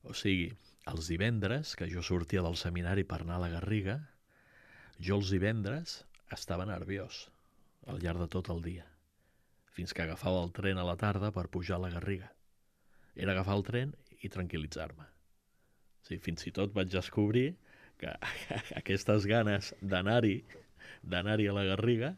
O sigui, els divendres, que jo sortia del seminari per anar a la Garriga, jo els divendres estava nerviós al llarg de tot el dia, fins que agafava el tren a la tarda per pujar a la Garriga. Era agafar el tren i tranquil·litzar-me. O sigui, fins i tot vaig descobrir que aquestes ganes d'anar-hi d'anar-hi a la Garriga,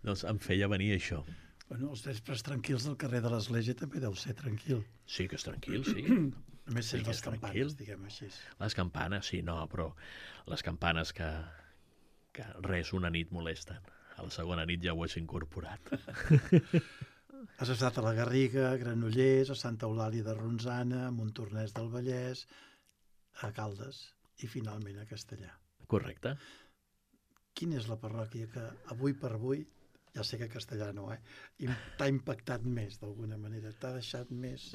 doncs em feia venir això. Bueno, els vespres tranquils del carrer de l'Església també deu ser tranquil. Sí que és tranquil, sí. Només Sí sents que les és campanes, tranquil. diguem així. Les campanes, sí, no, però les campanes que, que res, una nit molesten. A la segona nit ja ho has incorporat. Has estat a la Garriga, a Granollers, a Santa Eulàlia de Ronçana, a Montornès del Vallès, a Caldes i finalment a Castellà. Correcte. Quina és la parròquia que avui per avui, ja sé que Castellà no, eh, t'ha impactat més d'alguna manera, t'ha deixat més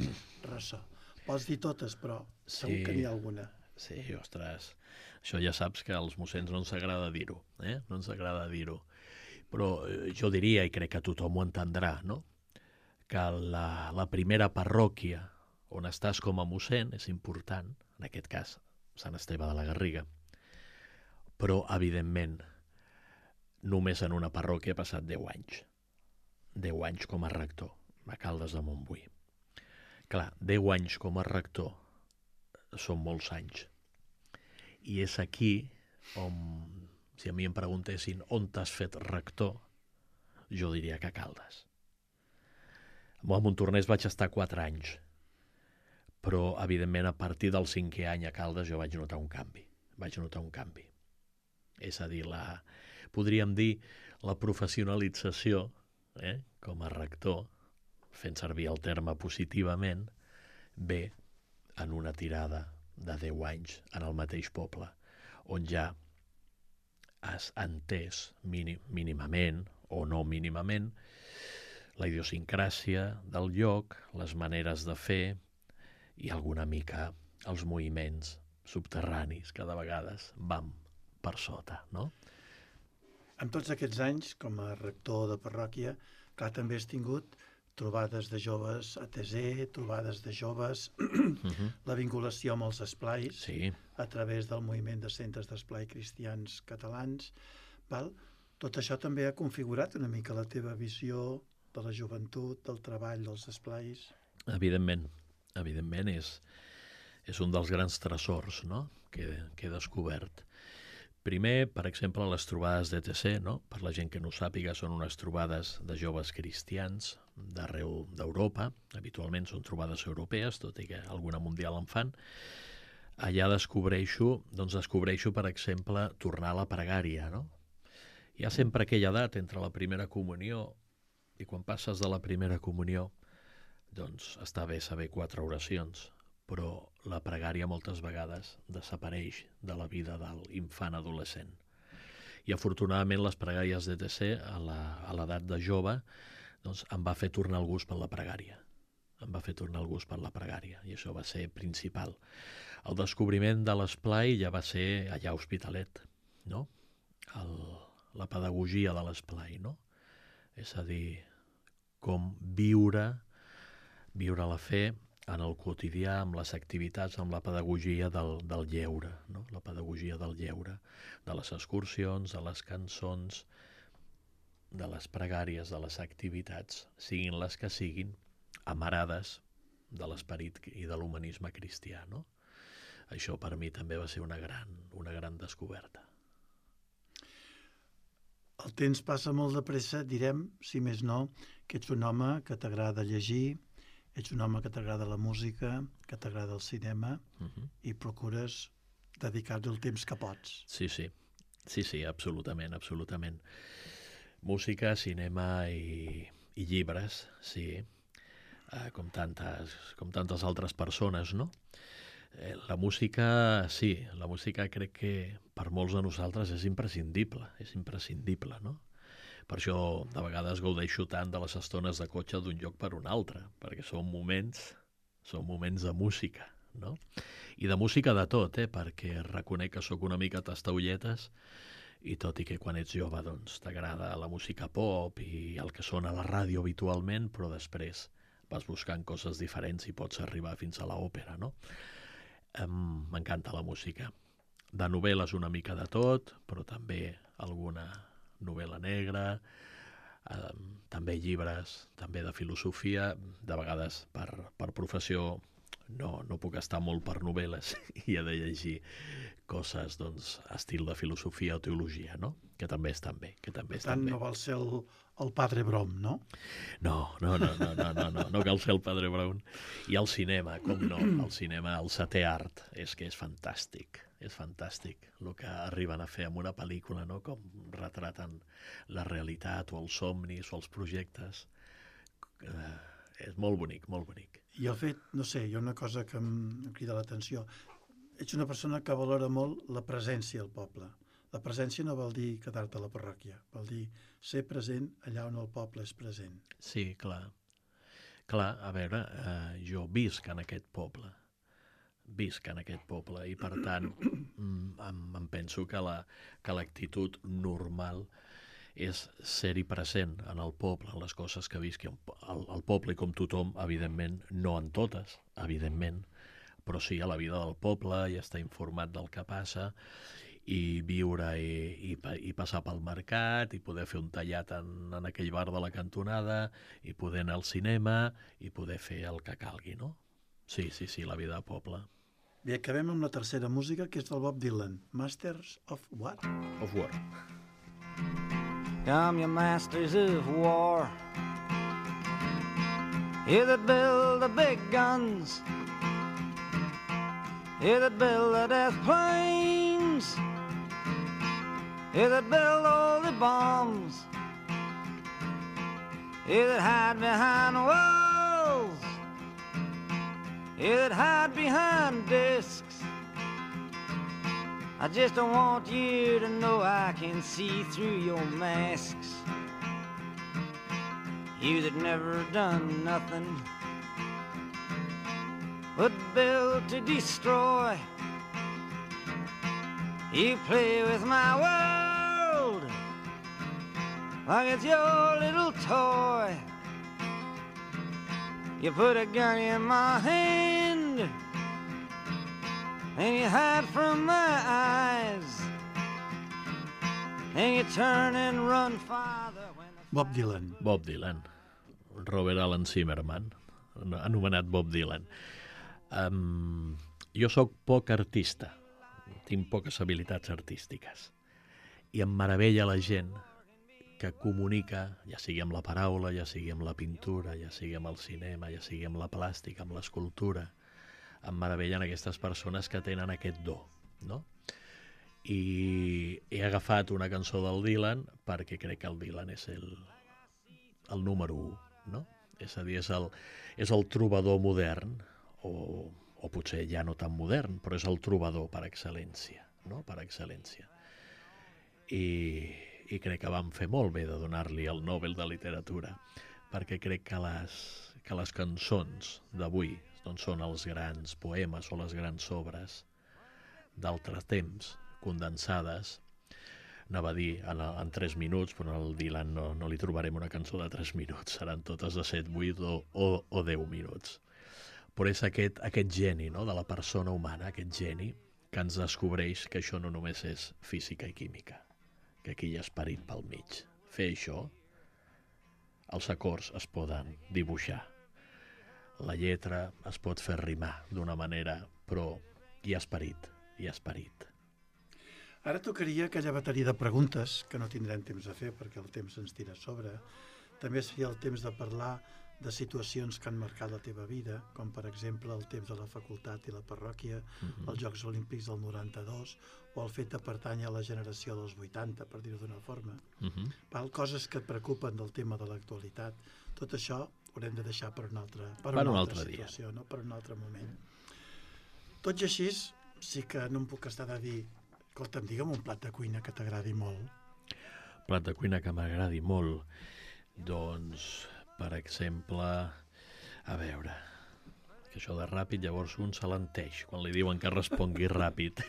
ressò? Pots dir totes, però segur Sí. que n'hi ha alguna. Sí, ostres, això ja saps que als mossens no ens agrada dir-ho, eh? No ens agrada dir-ho. Però eh, jo diria, i crec que tothom ho entendrà, no?, que la, la primera parròquia on estàs com a mossèn és important, en aquest cas Sant Esteve de la Garriga, però, evidentment, només en una parròquia he passat deu anys. deu anys com a rector, a Caldes de Montbui. Clar, deu anys com a rector són molts anys. I és aquí on, si a mi em preguntessin on t'has fet rector, jo diria que a Caldes. A Montornès vaig estar quatre anys, però, evidentment, a partir del cinquè any a Caldes jo vaig notar un canvi. Vaig notar un canvi. És a dir, la, podríem dir la professionalització, eh, com a rector, fent servir el terme positivament, ve en una tirada de deu anys en el mateix poble, on ja has entès mínim, mínimament o no mínimament la idiosincràsia del lloc, les maneres de fer i alguna mica els moviments subterranis que de vegades van per sota, no? En tots aquests anys, com a rector de parròquia, clar, també has tingut trobades de joves a T Z, trobades de joves, Uh-huh. la vinculació amb els esplais, Sí, a través del moviment de centres d'esplai cristians catalans. Val? Tot això també ha configurat una mica la teva visió de la joventut, del treball, dels esplais. evidentment. Evidentment és, és un dels grans tresors, no?, que, que he descobert. Primer, per exemple, les trobades d'E T C, no? Per la gent que no ho sàpiga, són unes trobades de joves cristians d'arreu d'Europa. Habitualment són trobades europees, tot i que alguna mundial en fan. Allà descobreixo, doncs descobreixo, per exemple, tornar a la pregària, no? Hi ha sempre aquella edat entre la primera comunió i quan passes de la primera comunió, doncs està bé saber quatre oracions, però la pregària moltes vegades desapareix de la vida de l'infant adolescent. I afortunadament les pregàries d'E T C a la- a l'edat de jove doncs em va fer tornar el gust per la pregària. Em va fer tornar el gust per la pregària i això va ser principal. El descobriment de l'esplai ja va ser allà a Hospitalet, no? El, la pedagogia de l'esplai, no? És a dir, com viure, viure la fe en el quotidià, amb les activitats, amb la pedagogia del, del lleure, no? La pedagogia del lleure, de les excursions, de les cançons, de les pregàries, de les activitats, siguin les que siguin, amarades de l'esperit i de l'humanisme cristià, no? Això per mi també va ser una gran, una gran descoberta. El temps passa molt de pressa, direm, si més no, que ets un home que t'agrada llegir, ets un home que t'agrada la música, que t'agrada el cinema, Uh-huh. i procures dedicar-li el temps que pots. Sí, sí, sí, sí, absolutament, absolutament. Música, cinema i, i llibres, sí, eh, com, tantes, com tantes altres persones, no? Eh, la música, sí, la música crec que per molts de nosaltres és imprescindible, és imprescindible, no? Per això de vegades gaudeixo tant de les estones de cotxe d'un lloc per un altre, perquè són moments, són moments de música, no? I de música de tot, eh? Perquè reconec que sóc una mica tastaulletes i tot i que quan ets jove doncs t'agrada la música pop i el que sona a la ràdio habitualment, però després vas buscant coses diferents i pots arribar fins a l'òpera, no? Um, M'encanta la música. De novel·les una mica de tot, però també alguna novel·la negra, um, també llibres, també de filosofia, de vegades per, per professió no, no puc estar molt per novel·les i he de llegir coses, doncs, estil de filosofia o teologia, no? Que també estan bé, que també Per estan tant, bé. no vol ser el, el padre Brom, no? No, no, no, no, no, no, no, no cal ser el Padre Brown. I el cinema, com no, el cinema, el setè art, és que és fantàstic, és fantàstic el que arriben a fer amb una pel·lícula, no? Com retraten la realitat o els somnis o els projectes eh, és molt bonic, molt bonic. I el fet, no sé, hi ha una cosa que em, em crida l'atenció. Ets una persona que valora molt la presència al poble. La presència no vol dir quedar-te a la parròquia, vol dir ser present allà on el poble és present. Sí, clar. Clar, a veure, eh, jo visc en aquest poble, visc en aquest poble i, per tant, em, em penso que la, que l'actitud normal és ser-hi present en el poble, en les coses que visqui el, el poble, i com tothom, evidentment, no en totes, evidentment, però sí a la vida del poble i estar informat del que passa i viure i, i, i passar pel mercat i poder fer un tallat en, en aquell bar de la cantonada i poder anar al cinema i poder fer el que calgui, no? Sí, sí, sí, la vida del poble. Bé, acabem amb la tercera música, que és del Bob Dylan. Masters of what? Of War. Come, you masters of war, you that build the big guns, you that build the death planes, you that build all the bombs, you that hide behind walls, you that hide behind discs. I just don't want you to know I can see through your masks. You that never done nothing but build to destroy. You play with my world like it's your little toy. You put a gun in my hand and you hide from my eyes, and you turn and run farther when the... Bob Dylan. Bob Dylan. Robert Alan Zimmerman, anomenat Bob Dylan. Um, jo sóc poc artista, tinc poques habilitats artístiques, i em meravella la gent que comunica, ja sigui amb la paraula, ja sigui amb la pintura, ja sigui amb el cinema, ja sigui amb la plàstica, amb l'escultura. Em meravellen aquestes persones que tenen aquest do, no? I he agafat una cançó del Dylan perquè crec que el Dylan és el, el número u, no? És a dir, és el, és el trobador modern, o, o potser ja no tan modern, però és el trobador per excel·lència, no? Per excel·lència. I, i crec que vam fer molt bé de donar-li el Nobel de Literatura, perquè crec que les, que les cançons d'avui doncs són els grans poemes o les grans obres d'altres temps, condensades, anava a dir en, en tres minuts, però al Dylan no, no li trobarem una cançó de tres minuts, seran totes de set, vuit o, o, o deu minuts. Però és aquest, aquest geni, no?, de la persona humana, aquest geni que ens descobreix que això no només és física i química, que aquí hi ha esperit pel mig. Fer això, els acords es poden dibuixar, la lletra es pot fer rimar d'una manera, però hi ha esperit, hi ha esperit. Ara tocaria aquella bateria de preguntes, que no tindrem temps de fer perquè el temps ens tira a sobre. També seria el temps de parlar de situacions que han marcat la teva vida, com per exemple el temps de la facultat i la parròquia, mm-hmm. els Jocs Olímpics del noranta-dos, o el fet de pertànyer a la generació dels vuitanta, per dir-ho d'una forma. Mm-hmm. Val, coses que et preocupen del tema de l'actualitat. Tot això haurem de deixar per una altra, per per una un altra altre situació, dia. no? Per un altre moment. Tot i així, sí que no em puc estar de dir, escolta'm, digue'm un plat de cuina que t'agradi molt. Plat de cuina que m'agradi molt? Doncs, per exemple, a veure, que això de ràpid llavors un s'alenteix quan li diuen que respongui ràpid.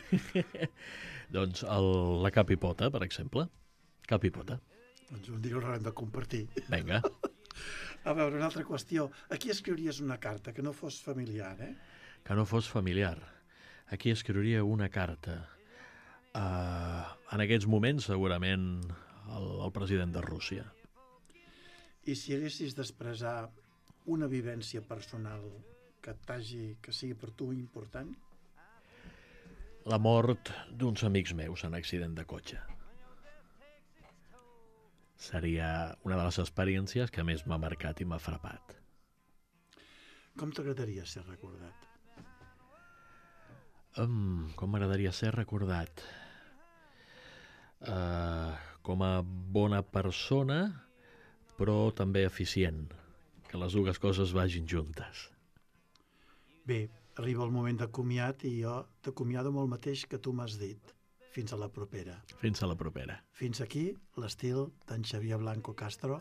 Doncs el, la capipota, per exemple. Capipota. Doncs un dia ho haurem de compartir. Vinga. A veure, una altra qüestió. A qui escriuries una carta que no fos familiar, eh? Que no fos familiar. Aquí escriuria una carta. Uh, en aquests moments, segurament, el, el president de Rússia. I si haguessis d'expressar una vivència personal que t'hagi, que sigui per tu important? La mort d'uns amics meus en accident de cotxe. Seria una de les experiències que més m'ha marcat i m'ha frapat. Com t'agradaria ser recordat? Um, com m'agradaria ser recordat? Uh, com a bona persona, però també eficient, que les dues coses vagin juntes. Bé, arriba el moment de comiat i jo t'acomiado amb el mateix que tu m'has dit. Fins a la propera. Fins a la propera. Fins aquí l'estil d'en Xavier Blanco Castro,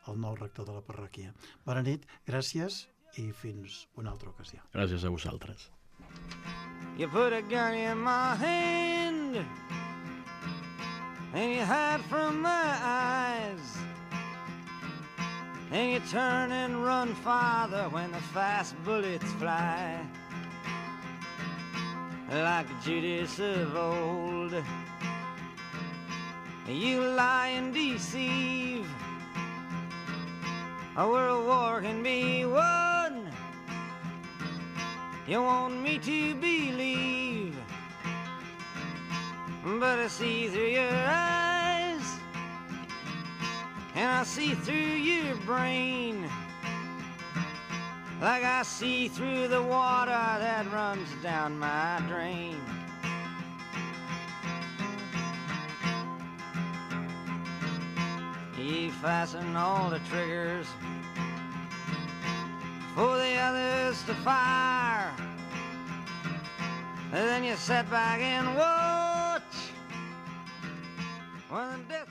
el nou rector de la parròquia. Bona nit, gràcies i fins una altra ocasió. Gràcies a vosaltres. You put a gun in my hand and you hide from my eyes and you turn and run farther when the fast bullets fly. Like Judas of old, you lie and deceive. A world war can be won. You want me to believe, but I see through your eyes, and I see through your brain, like I see through the water that runs down my drain. You fasten all the triggers for the others to fire, and then you sit back and watch when the death